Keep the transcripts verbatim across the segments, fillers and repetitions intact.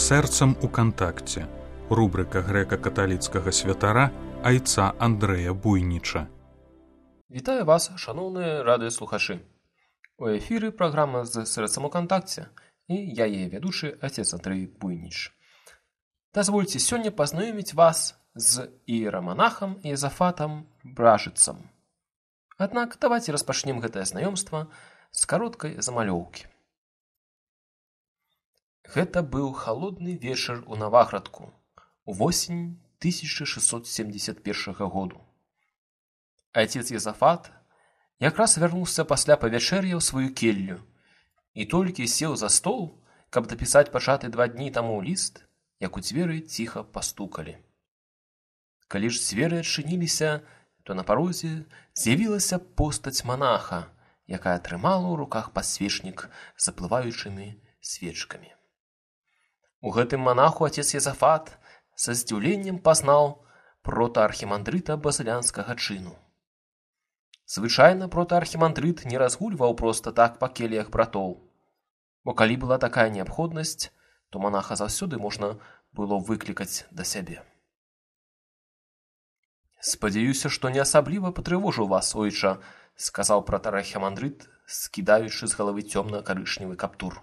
Сэрцам у кантакце. Рубрика грэка-каталіцкага святара айца Андрэя Буйніча. Вітаю вас, шаноўныя радыёслухачы. У эфіры праграма з сэрцам у кантакце, і я яе вядучы отец Андрэй Буйніч. Дазвольце сёння пазнаёміць вас з іераманахам Езафатам Бражыцам. Аднак давайте распачнем гэтае знаёмства з кароткай замалёўкі. Гэта быў халодны вечар у Наваградку, увосень тысяча шестьсот семьдесят першага году. Отец Езафат якраз вярнуўся пасля павячэр'я ў сваю келлю і толькі сеў за стол, каб дапісаць пачаты два дні таму ліст, як у дзверы ціха пастукалі. Калі ж дзверы адчыніліся, то на парозе з'явілася постаць манаха, якая трымала ў руках падсвечнік з заплываючымі свечкамі. У гэтым манаху отец Езафат са здзіўленнем пазнаў протаархімандрыта базылянскага чыну. Звычайна протаархімандрыт не разгульваў проста так па келіях братоў, бо калі была такая неабходнасць, то манаха заўсёды можна было выклікаць да сябе. «Спадзяюся, што не асабліва патрывожыў вас, ойча», — сказаў протаархімандрыт, скідаючы з галавы цёмна-карычневы каптур.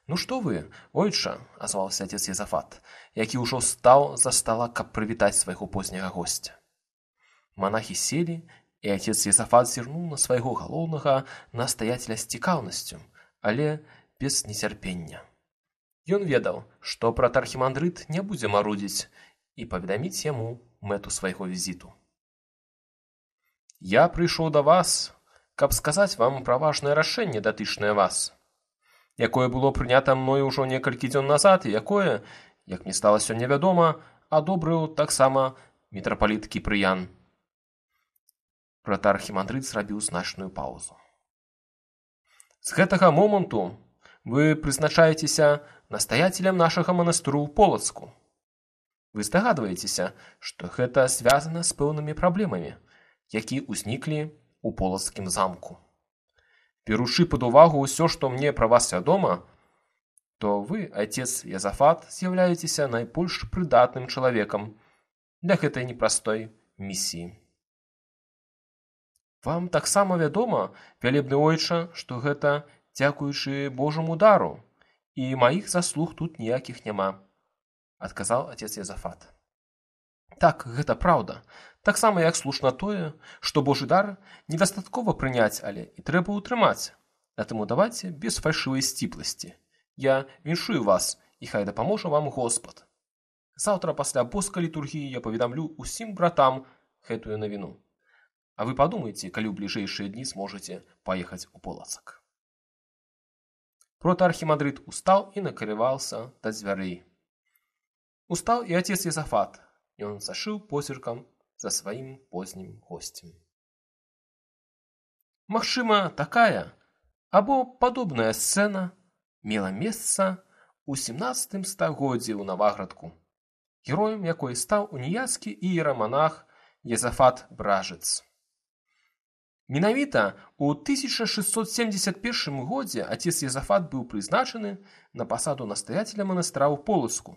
«Ну што вы, ойча», — азваўся отец Езафат, які ўжо стаў за стала, каб прывітаць свайго позняга госця. Манахі селі, і отец Езафат зірнуў на свайго галоўнага настаяцеля з цікаўнасцю, але без нецярпення. Ён ведаў, што протаархімандрыт не будзе марудзіць і паведаміць яму мэту свайго візіту. «Я прыйшоў да вас, каб сказаць вам пра важнае рашэнне, датычнае вас, якое было прынята мною ўжо некалькі дзён назад і якое, як мне стала сёння вядома, адобрыў таксама мітрапаліт Кіпрыян». Протаархімандрыт зрабіў значную паўзу. «З гэтага моманту вы прызначаецеся настаяцелем нашага манастыру ў Полацку. Вы здагадваецеся, што гэта звязана з пэўнымі праблемамі, які ўзніклі ў Полацкім замку. Беручы пад увагу ўсё, што мне пра вас вядома, то вы, отец Езафат, з'яўляецеся найбольш прыдатным чалавекам для гэтай непростой місіі. Вам таксама вядома, вялебны ойча, што гэта дзякуючы Божаму дару, і маіх заслуг тут ніякіх няма», — адказаў отец Езафат. «Так, гэта праўда. Таксама як слушна тое, што Божы дар недастаткова прыняць, але і трэба ўтрымаць. А таму давайце без фальшывай сціпласці. Я віншую вас, і хай дапаможа вам Господ. Заўтра пасля боскай літургіі я паведамлю ўсім братам гэтую навіну. А вы падумайце, калі ў бліжэйшыя дні зможаце паехаць у Полацак». Протаархімандрыт устаў і накрываўся да дзвярэй. Устаў і отец Езафат. Ён зашыў позіркам за сваім познім госцем. Магчыма, такая або падобная сцэна мела месца ў сямнаццатым стагоддзі ў Наваградку, героем якой стаў уніяцкі іераманах Езафат Бражыц. Менавіта ў тысяча шестьсот семьдесят першым годзе отец Езафат быў прызначаны на пасаду настаяцеля манастыра ў Полацку.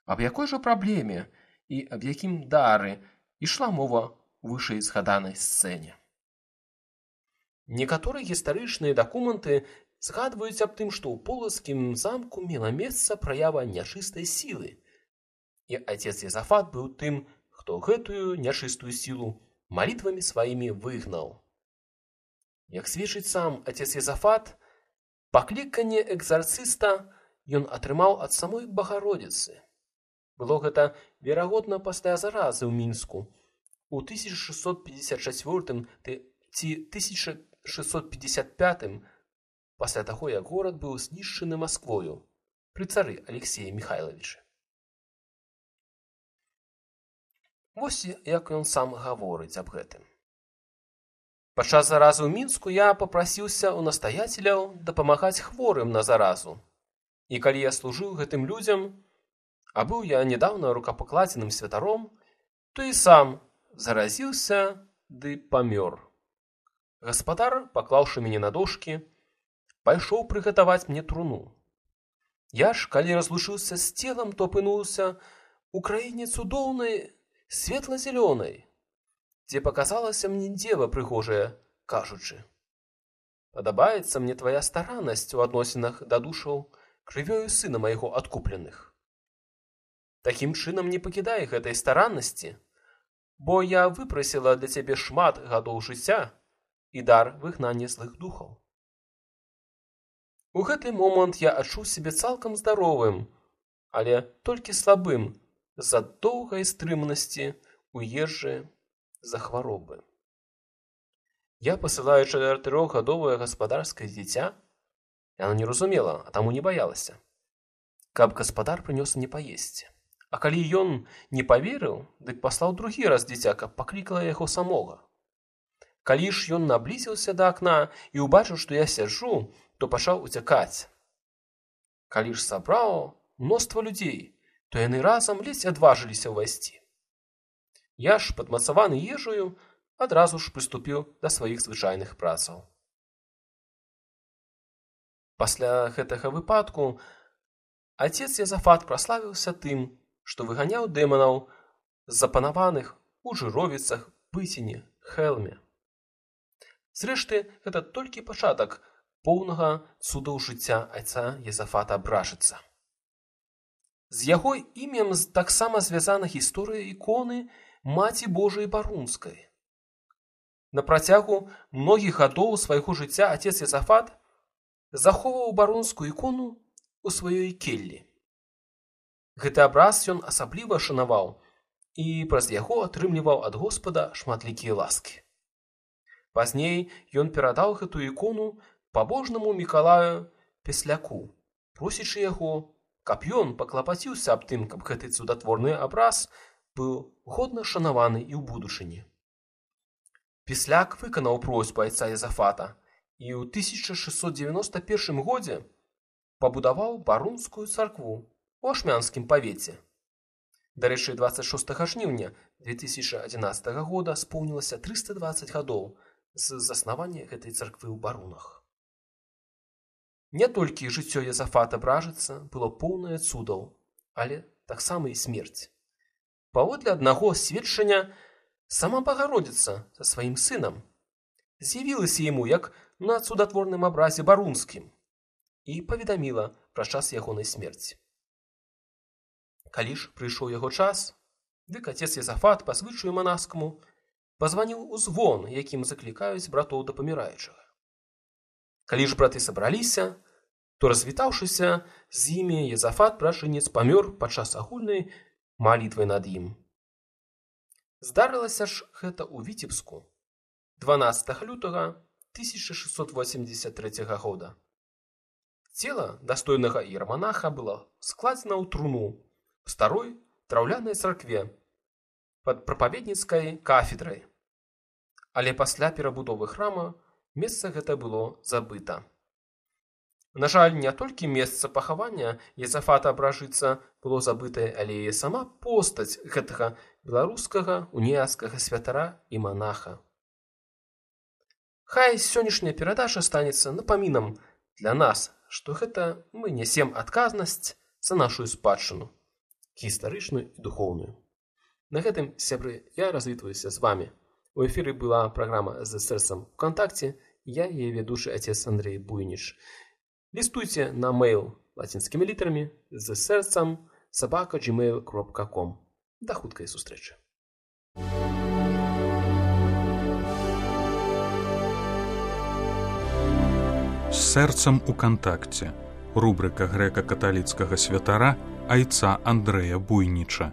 Аб якой жа праблеме і аб якім дары ішла мова ў вышэй згаданай сцэне? Некаторыя гістарычныя дакументы згадваюць аб тым, што ў Полацкім замку мела месца праява нячыстай сілы, і отец Езафат быў тым, хто гэтую нячыстую сілу малітвамі сваімі выгнаў. Як сведчыць сам отец Езафат, пакліканне экзарцыста ён атрымаў ад самой Багародзіцы. Было гэта, верагодна, пасля заразы ў Мінску у тысяча шестьсот пятьдесят чацвёртым ці тысяча шестьсот пятьдесят пятым, пасля таго, як горад быў знішчаны Масквою пры цары Алексея Міхайлавіча. Вось як ён сам гаворыць аб гэтым. «Падчас заразы ў Мінску я папрасіўся ў настаяцеляў дапамагаць хворым на заразу. І калі я служыў гэтым людзям, а быў я нядаўна рукапакладзеным святаром, то і сам заразіўся ды памёр. Гаспадар, паклаўшы мяне на дошкі, пайшоў прыгатаваць мне труну. Я ж, калі разлучыўся з целам, то апынуўся у краіне цудоўнай, светла-зялёнай, дзе паказалася мне дзева прыгожая, кажучы: «Падабаецца мне твая стараннасць у адносінах да душаў крывёю сына майго адкупленых. Такім чынам не пакідай гэтай стараннасці, бо я выпрасіла для цябе шмат гадоў жыцця і дар выгнання злых духаў». У гэты момант я адчуў сябе цалкам здаровым, але толькі слабым з-за доўгай стрыманасці ў ежы за хваробы. Я пасылаю чатырохгадовае гаспадарскае дзіця, яна не разумела, а таму не баялася, каб гаспадар прынёс мне паесці. А калі ён не паверыў, дык паслаў другі раз дзіця, каб паклікала яго самога. Калі ж ён наблізіўся да акна і ўбачыў, што я сяджу, то пачаў уцякаць. Калі ж сабраў мноства людзей, то яны разам ледзь адважыліся ўвайсці. Я ж, падмацаваны ежаю, адразу ж прыступіў да сваіх звычайных працаў. Пасля гэтага выпадку Отец Язафат праславіўся тым, што выганяў дэманаў з запанаваных у Жыровіцах, Пыціне, Хэлме. Зрэшты, гэта толькі пачатак поўнага цудаў жыцця айца Язафата Бражыца. З яго імем таксама звязана гісторыя іконы Маці Божай Барунскай. На працягу многіх гадоў свайго жыцця отец Язафат захоўваў барунскую ікону у сваёй келлі. Гэты абраз ён асабліва шанаваў і праз яго атрымліваў ад Господа шматлікія ласкі. Пазней ён перадаў гэту ікону пабожнаму Мікалаю Песляку, просячы яго, каб ён паклапаціўся аб тым, каб гэты цудатворны абраз быў годна шанаваны і ў будучыні. Песляк выканаў просьбу айца Язафата і ў тысяча шэсцьсот дзевяноста першым годзе пабудаваў барунскую царкву ў Ашмянскім павеце. Дарэчы, дваццаць шостага жніўня две тысячы адзінаццатага года споўнілася трыста дваццаць гадоў з заснавання гэтай царквы ў Барунах. Не толькі жыццё Язафата Бражыца было поўнае цудаў, але таксама і смерць. Паводле аднаго сведчання, сама Багародзіца са сваім сынам з'явілася яму як на цудатворным абразе барунскім і паведаміла пра час ягонай смерці. Калі ж прыйшоў яго час, дык отец Язафат па звычаю манаскаму пазваніў у звон, якім заклікаюць братоў да паміраючага. Калі ж браты сабраліся, то, развітаўшыся з імі, Язафат Бражынец памёр падчас агульнай малітвы над ім. Здарылася ж гэта ў Віцебску дванаццатага лютага тысяча шэсцьсот восемьдесят трэцяга года. Цела дастойнага іераманаха было складзена ў труну в старой драўлянай царкве пад прапаведніцкай кафедрай. Але пасля перабудовы храма месца гэта было забыта. На жаль, не толькі месца пахавання Язафата Бражыца было забытае, але і сама постаць гэтага беларускага уніяцкага святара і манаха. Хай сённяшняя перадача станецца напамінам для нас, што гэта мы нясем адказнасць за нашу спадчыну, гістарычную і духоўную. На гэтым, сябры, я развітваюся з вамі. У эфіры была праграма «З сэрцам у кантакце», я яе ведучы отец Андрей Буйніч. Лістуйце на мейл лацінскімі літарамі з сэрцам сабака джимейл кропка ком. Да хуткай сустрэчы. З сэрцам у кантакце. Рубрика грэка-каталіцкага святара айца Андрэя Буйніча.